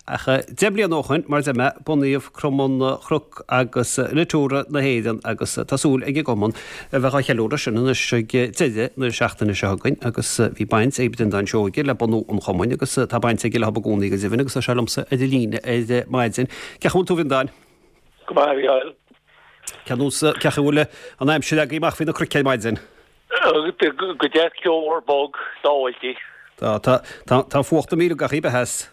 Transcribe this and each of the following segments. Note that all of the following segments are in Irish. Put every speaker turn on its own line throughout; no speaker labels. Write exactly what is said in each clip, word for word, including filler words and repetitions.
Ach deich mbliana ó shin, mar a deir mé, bunaíodh Cumann Chnoc agus Natura na hÉireann agus tá súil ag an gcumann a bheith á cheiliúradh sin anois ag deireadh na seachtaine seo chugainn agus bhí baint ag Breandán Seoige le bunú an chumainn agus tá baint aige leo i gcónaí go deimhin agus tá sé liomsa ar an líne ar maidin. Cén chaoi a bhfuil tú a Bhreandáin?
Go maith, a Mhícheáil.
Cén nós, cén chaoi a bhfuil an aimsir agaibh amach faoi na cnoic ar maidin?
Go deas ceomhar bog, dáilte.
Tá, tá, tá, tá fuacht ag milleadh gach aon theas.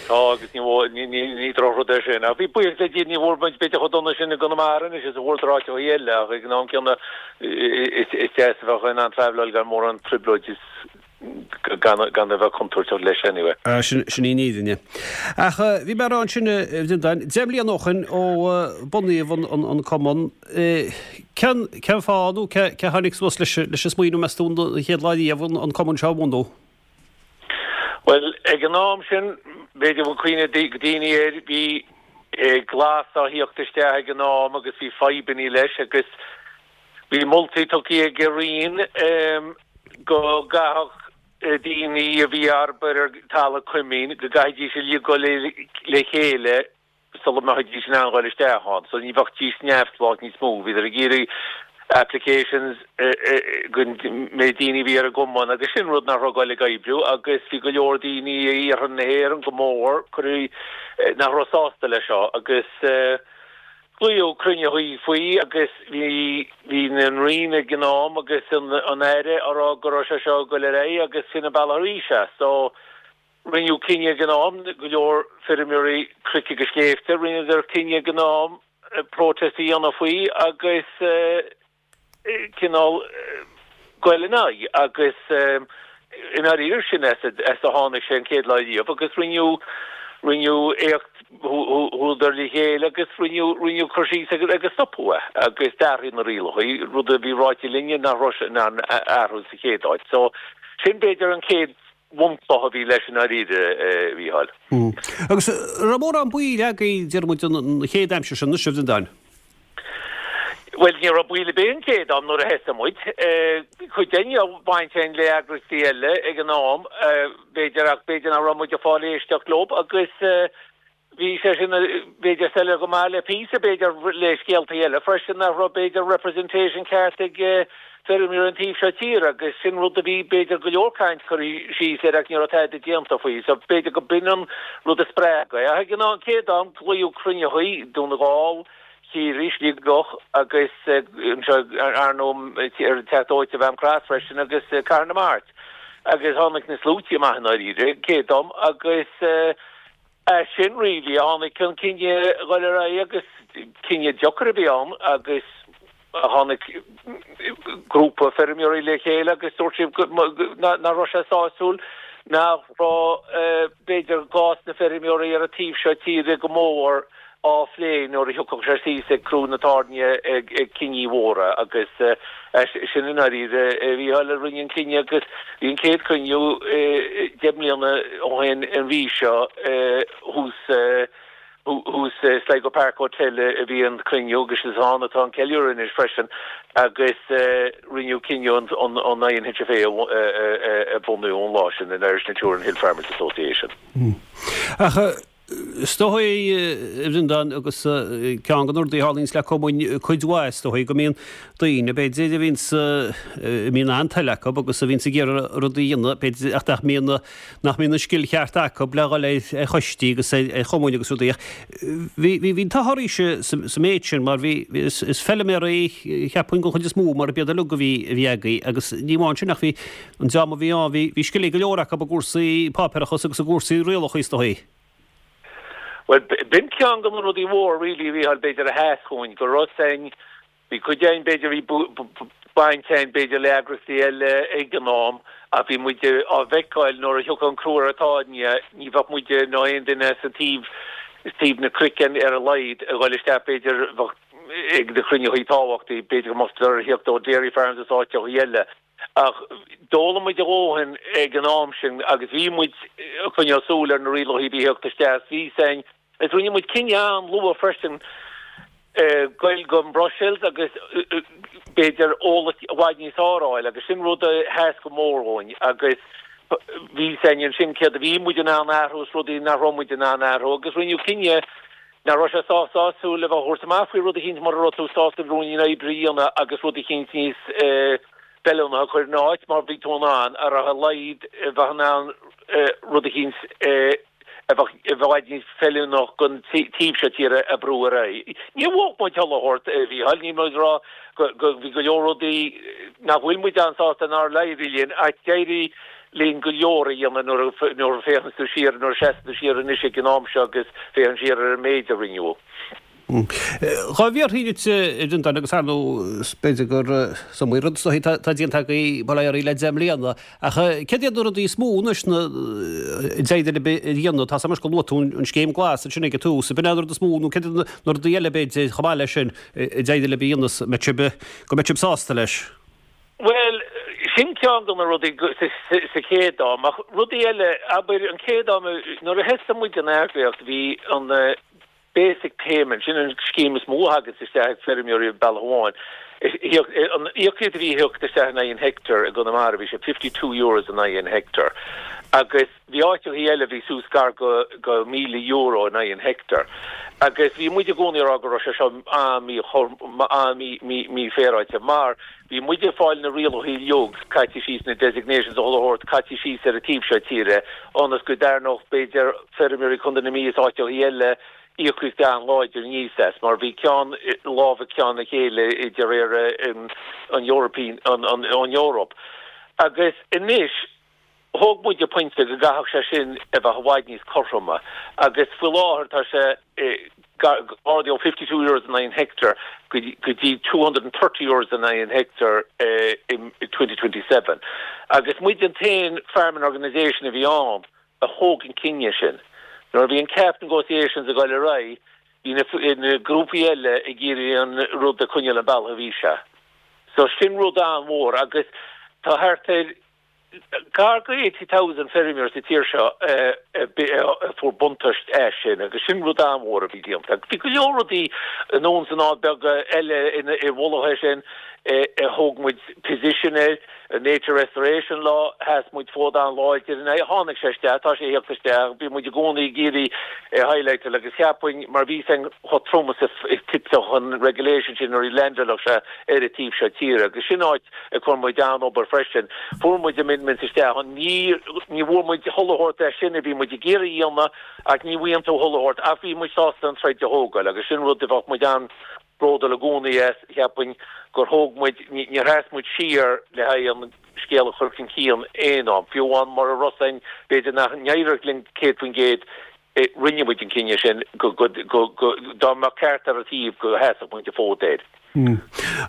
Tá agus ní ní ní ní drochrud é sin. Ach bhí buíochas le Dia ní bhfuair muid b'fhéidir chomh dona sin i gConamara anois is a fuair áiteacha eile ach ag an am céanna is is deas a bheith in ann traveláil gan mórán trioblóid is gan gan a bheith contúirteach leis anyway.
Ah, sin sin í an fhírinne. Ach bhí mé ag rá ansin a Bhreandáin, deich mbliana ó shin ó bunaíodh an an an cumann, cén cén fáth nó cé cé tháinig suas leis leis an smaoineamh meas tú an chéad lá riamh an an cumann seo a bhunú?
Bhuel, ag an am sin, b'fhéidir bhfuil cuimhne ag daoine air, bhí glas á thíocht isteach ag an am agus bhí fadhbannaí leis agus bhí moltaí tugtha ag an Roinn go gcaithfeadh daoine a bhí ag obair ar talamh coimín, go gcaithfidís uilig dul le chéile sula mbeidís in ann dhul isteach ann. So ní bheadh neamhspleách níos mó. Bhíodar ag iarraidh applications go mbeidh daoine bhí ar an gcumann agus sin rud nach raibh ag dul ag oibriú agus bhí go leor daoine i iarthar na hÉireann go mór cuireadh nach raibh sásta leis seo agus glaodh cruinniú faoi agus bhí bhí an Roinn ag an am agus an an Aire á rá go raibh sé seo ag dul ar aghaidh agus sin an bealach arís é. So rinneadh cinneadh ag an am go leor feirmeoirí cnoic agus sléibhte, rinneadar cinneadh ag an am protest a dhéanamh faoi agus cineál dul in aghaidh agus i ndáiríre sin as a tháinig sé an chéad lá riamh agus rinneadh rinneadh éacht chuadar le chéile agus rinneadh rinneadh cur síos agus agus stopadh é agus d'athraigh na rialacha rud a bhí ráite linne nach raibh sé in ann athrú sa chéad áit. So sin b'fhéidir an chéad bhunchloch a bhí leis i ndáiríre, a Mhícheáil.
Agus raibh mórán baill agaibh deir muid an chéad aimsir sin, anois a Bhreandáin?
Bhuel, ní raibh baill ar bith an chéad am nuair a thosaigh muid. Cuid againn a baint againn le eagraíochtaí eile ag an am, b'fhéidir, ach b'fhéidir nach raibh muid ag fáil éisteacht leo agus bhí sé sin b'fhéidir soiléir go maith le píosa, b'fhéidir le scéaltaí eile freisin nach raibh b'fhéidir representation ceart ag feirmeoirí an taobh seo tíre agus sin rud a bhí b'fhéidir go leor caint curtha síos air ach ní raibh tada déanta faoi. So b'fhéidir go b'in an rud a spreag é. Ach ag an chéad am glaodh cruinnithe Dún na nGall, Ciarraí, Sligeach agus anseo ar ndóigh ar an Teach Dóite i Mhaam Cross freisin agus Cathair na Mart. Agus tháinig na sluaite amach i ndáiríre chéad am agus as sin really a tháinig an cinneadh dhul ar aghaidh agus cinneadh deacair a bhí ann agus tháinig grúpa feirmeoirí le chéile agus dúirt siad nach raibh sé sásúil nach raibh b'fhéidir cás na feirmeoirí ar an taobh seo tíre go mór á phlé nuair a thiocfadh sé síos ag crú na tairne ag cinní mhóra agus sin i ndáiríre a Mhícheáil a rinne an cinneadh agus bhí an chéad chruinniú deich mbliana ó shin an mhí seo thuas thuas Sligo Park Hotel a bhí an cruinniú agus is ann atá an ceiliúradh anois freisin agus rinneadh cinneadh an an INHFA a bhunú ón lá sin an Irish Natura and Hill Farmers Association.
Ach is dóigh a Bhreandáin agus ceann de na rudaí a tharlaíonns le cumainn cuid mhaith is dóigh go mbíonn daoine b'fhéidir a bhíonns a mbíonn an-toil acu agus a bhíonns ag iarraidh rudaí a dhéanamh b'fhéidir ach nach mbíonn nach mbíonn an scil cheart acu le dhul ar choistí agus ar chumainn agus rudaí ach bhí bhí bhí an t-ádh oraibhse sa méid sin mar bhí is is feilméaraí cheapfainn den chuid is mó mar b'iad uilig a bhí a bhí agaibh agus ní amháin sin ach bhí an dream a bhí ann bhí bhí scil ag go leor acu i gcúrsaí páipéarachas agus i gcúrsaí rialacha is dóigh.
Well, b'in ceann de na rudaí mhór really a Mhícheáil b'fhéidir a sheas chugainn go raibh sain bhí cuid againn b'fhéidir bhí baint againn b'fhéidir le eagraíochtaí eile ag an am ach bhí muid á bhfeiceáil nuair a thiocfadh an crú ar an tairne ní bheadh muid nó aon duine sa taobh taobh na cnoic ar a laghad a dhul isteach b'fhéidir bheadh ag na cruinnithe tábhachtaí b'fhéidir go mbeadh ar thíocht ó dairy farms is áiteacha eile. Ach d'fhoghlaim muid a dhóthain ag an am sin agus bhí muid ag coinneáil súil ar na rialacha a bhí ag theacht isteach. Bhí sain agus rinne muid cinneadh an-luath freisin goil go Brussels agus b'fhéidir eolas i bhfad níos fearr a fháil agus sin rud a sheas go mór dhúinn agus Bhí a fhios againn ansin céard a bhí muid in ann a athrú is rudaí nach raibh muid in ann a athrú agus rinneadh cinneadh nach raibh sé sách sásúil le bheith a thabhairt amach faoi rud eicínt mura raibh tú sásta ruainnín oibre a dhéanamh agus rud eicínt níos feiliúnaí a chur ina áit mar bhí tú in ann ar a laghad bheith in ann rud eicínt a bheadh i bhfad níos feiliúnach don taobh seo tíre a bhrú ar aghaidh. Níor bhuaigh muid chuile shórt, a Mhícheáil, níl muid ag rá go bhí go leor rudaí nach bhfuil muid an-sásta nár éirigh linn ach d'éirigh linn go leor a dhéanamh nuair a nuair a féachann tú siar, nuair a seasann tú siar anois ag an am seo agus féachann siar ar an méid a rinneadh.
Dhá bhfiafróinn díot, a Bhreandáin, agus ar ndóigh b'fhéidir gur is iomaí rud is dóichí atá déanta agaibh bail ó Dhia oraibh le deich mbliana, ach céard iad na rudaí is mó anois a d'éirigh libh a dhéanamh? Tá a fhios agam anois gur luaigh tú an scéim glas ansin ag an tús, ab in é an rud is mó nó céard iad na rudaí eile b'fhéidir chomh maith leis sin a d'éirigh libh a dhéanamh mbeidh sibh go mbeidh sibh sásta leis?
Bhuel, sin ceann de na rudaí sa chéad am, ach rudaí eile, abair an chéad am nuair a thosaigh muid an eagraíocht bhí an basic payment, sin an scéim is mó a thagas isteach ag feirmeoirí bealach amháin. An íocaíocht a bhí ag theacht isteach in aghaidh an heicteáir i gConamara bhí sé fifty two euros in aghaidh an heicteáir. Agus bhí áiteachaí eile bhí suas gar go go míle euro in aghaidh an heicteáir. Agus bhí muid i gcónaí ag rá go raibh sé seo an-mhí-mhí-mhífhéaráilte mar bhí muid ag fáil na rialacha uilig caite síos na designations a chuile shórt caite síos ar an taobh seo tíre ionas go dtarraingeodh b'fhéidir feirmeoirí Chontae na Mí is áiteachaí eile íocaíocht an-láidir aníos as mar bhí ceann lámh ag ceann a chéile de réir an European an an an Eoraip. Agus anois thóg muid an pointe go gcaithfeadh sé sin a bheith i bhfad níos cothroime agus faoi láthair tá sé ardaithe ó fifty two euros in aghaidh an heicteáir go dtí two hundred and thirty euros in aghaidh an heicteáir in twenty twenty seven. Agus muid an t-aon farming organisation a bhí ann a thóg an cinneadh sin. Nuair a bhí an cap negotiations ag dul ar aghaidh, bhí na na grúpaí eile ag iarraidh an rud a choinneáil an bealach a bhí sé. So sin rud an-mhór agus tá thart ar gar go eighty thousand feirmeoir sa tír seo a fuair buntáiste as sin agus sin rud an-mhór a bhí déanta. Bhí go leor rudaí anonn is anall beaga eile i bhfolach air sin a thóg muid position air, Nature Restoration Law, sheas muid fód an-láidir ina aghaidh, tháinig sé isteach, tá sé ag theacht isteach, bhí muid i gcónaí ag iarraidh é a highlightáil agus cheapfainn mar bhí a fhios againn chomh trom is a thitfeadh an regulation sin nuair a leaindeálfadh sé ar an taobh seo tíre agus sin áit a chuir muid an-obair freisin. Fuair muid amendments isteach ann, ní ní bhfuair muid chuile shórt é sin a bhí muid ag iarraidh a dhéanamh ach ní bhfaigheann tú chuile shórt ach bhí muid sásta an troid a thógáil agus sin rud a bheadh muid an bródúil i gcónaí as, cheapfainn gur thóg muid, níor sheas muid siar le haghaidh an scéal a chur chun cinn aon am, fiú amháin mura raibh a fhios againn, b'fhéidir nach n-éireodh linn céad faoin gcéad, rinne muid an cinneadh sin go, go, go, go, dá mbeadh ceart ar an taobh go sheasfadh muid an fód air.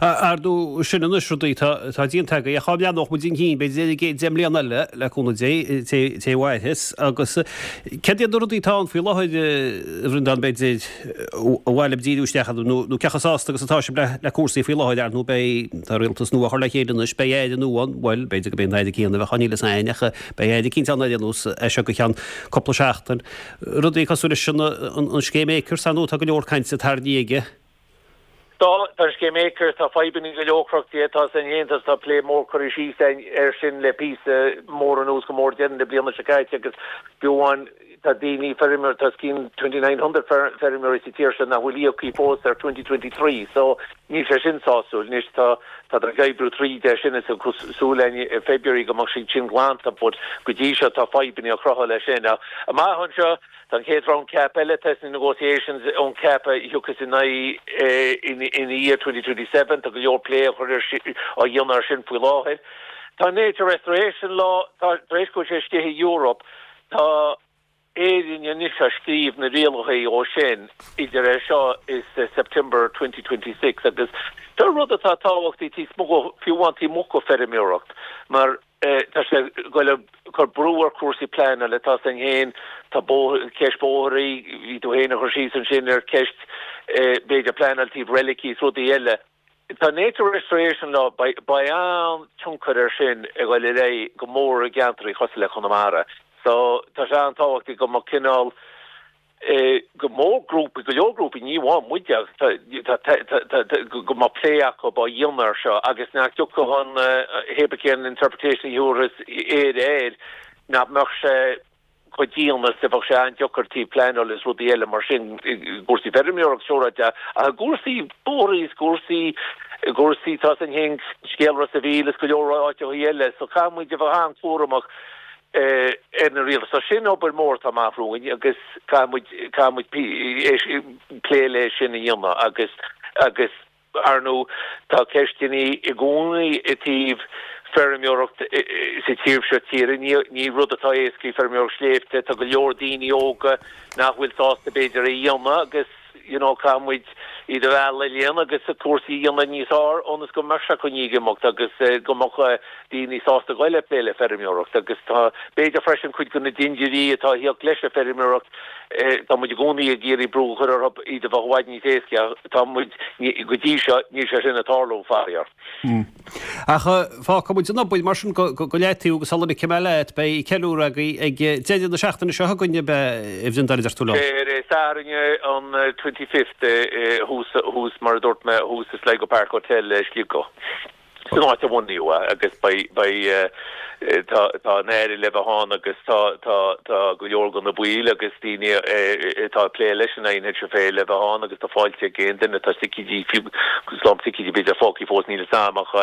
Ar ndóigh, sin anois rudaí atá déanta agaibh, ach cá mbreathnódh muid chun cinn, b'fhéidir i gcéad deich mbliana eile, le cúnamh Dé, té a mhairfeas, agus céard iad na rudaí atá ann faoi láthair, a Bhreandáin, b'fhéidir, ar mhaith libh díriú isteach orthu, nó cé chomh sásta agus atá sibh le cúrsaí faoi láthair, ar ndóigh, beidh, tá rialtas nua á chur le chéile anois, beidh Aire nua ann, bhuel, b'fhéidir go mbeidh an Aire céanna a bheadh ann, níl fhios a'inn, ach beidh Aire eicínt ann ar aon nós, as seo go ceann cúpla seachtain. Rudaí cosúil leis an scéim Acres, ar ndóigh, tá go leor cainte tarraingthe aige.
Tá, tá an scéim Acres, tá fadhbanna go leor cruthaithe, tá san Aontas, tá plé mór curtha síos air sin le píosa mór anuas, go mór deireadh na bliana seo caite agus fiú amháin tá daoine, feirmeoirí, tá os cionn twenty nine hundred feirmeoirí sa tír seo nach bhfuil íoctha fós ar twenty twenty three so níl sé sin sásúil. Anois tá, tá ag oibriú tríd é sin is súil againn i February go mbeadh siad sin glanta but go dtí seo tá fadhbanna á chruthú leis sin. Amach anseo, Tá an chéad round cap eile, tá sna negotiations ón cap a thiocfas in aghaidh ina dhiaidh twenty twenty seven, tá go leor plé á chur ar á dhéanamh ar sin faoi láthair. Tá Nature Restoration Law, tá tar éis go bhfuil sé istigh i Europe, tá Éirinn anois á scríobh na rialacha ó sin idir é seo is September twenty twenty six agus seo rud atá tábhachtach taobh amuigh fiú amháin taobh amuigh de feirmeoireacht mar Tá sé ag goil ag cur brú ar chúrsaí pleanála, tá a fhios againn féin, tá bóthar, ceist bóithrí, bhí tú féin ag cur síos ansin ar ceist b'fhéidir pleanáil taobh reilicí is rudaí eile. Tá Nature Restoration Law, beidh an-tionchar air sin ag goil ar aghaidh go mór i gceantraí cosúil le Conamara. So tá sé an-tábhachtach go mbeadh cineál, go mór grúpaí, go leor grúpaí, ní amháin muide, go mbeadh plé acu á dhéanamh air seo agus nach dtiocfadh an hé cén interpretation a thabharfas Éire air, nach mbeadh sé chomh dian is a bheadh sé an-deacair taobh pleanáil is rudaí eile mar sin i gcúrsaí feirmeoireacht siúráilte ach i gcúrsaí bóithre is cúrsaí i gcúrsaí tá san fhéin scéal Ros a' Mhíl is go leor áiteachaí eile so caithfidh muid a bheith an-chúramach ar na rialacha. So sin obair mór atá amach romhainn agus caithfidh muid caithfidh muid plé le sin a dhéanamh agus agus Ar ndóigh, tá ceisteanna i gcónaí i dtaobh feirmeoireacht sa tír seo tíre. Ní rud atá éasca í feirmeoireacht sléibhte. Tá go leor daoine óga nach bhfuil sásta b'fhéidir é a dhéanamh agus you know caithfidh muid iad a mhealladh le dhéanamh agus cúrsaí a dhéanamh níos fearr ionas go mbeadh sé coinnithe ag imeacht agus go mbeadh daoine sásta goil ag plé le feirmeoireacht agus tá b'fhéidir freisin cuid de na dindiúirí atá ag theacht leis an feirmeoireacht Tá muid i gcónaí ag iarraidh brú a chur orthu iad a bheith i bhfad níos éasca ach tá muid, go dtí seo, níl sé sin ag tarlú, faraor.
Ach fágfaidh muid an obair mar sin go leataobh agus sula ligfidh mé leat, beidh ceiliúradh agaibh ag deireadh na seachtaine seo chugainn, ab ea, a Bhreandáin, a deir tú liom?
Ar an Satharn an twenty fifth thuas, thuas mar a dúirt mé, thuas i Sligo Park Hotel i Sligeach. San áit a bunaíodh é agus beidh, beidh, tá, tá an Aire le bheith ann agus tá, tá, tá go leor de na baill agus daoine atá ag plé leis an INHFA le bheith ann agus tá fáilte ag aon duine, tá ticéidí, fiú slám ticéidí b'fhéidir fágtha fós, níl fhios a'm ach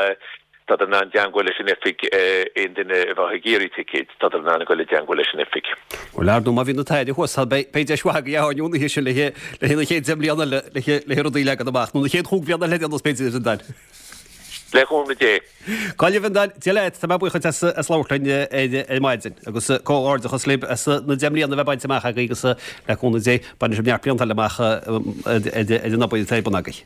tádar in ann teangmháil leis an oifig, aon duine a bheadh ag iarraidh ticéid, tádar in ann a dhul i dteangmháil leis an oifig.
Bhuel, ar ndóigh, má bhíonn an tAire thuas, beidh, beidh deis mhaith agaibh an oíche sin le haghaidh na chéad deich mbliana eile, le haghaidh rudaí a leagan amach, nó na chéad chúig bhliana eile ar aon nós b'fhéidir, a Bhreandáin.
Le cúnamh Dé.
Go leor, a Bhreandáin, Dia leat, tá mé buíoch duit as labhairt linn ar maidin agus comhghairdeachas libh as na deich mbliana a bheith bainte amach agaibh agus le cúnamh Dé bainfidh sibh neart blianta eile amach ar an obair atá ar bun agaibh.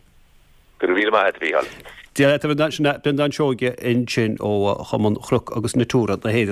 Go raibh míle maith agat, a Mhícheáil.
Dia leat, a Bhreandáin, sin é Breandán Seoige ansin ó Chumann Chnoc agus Natura na hÉireann.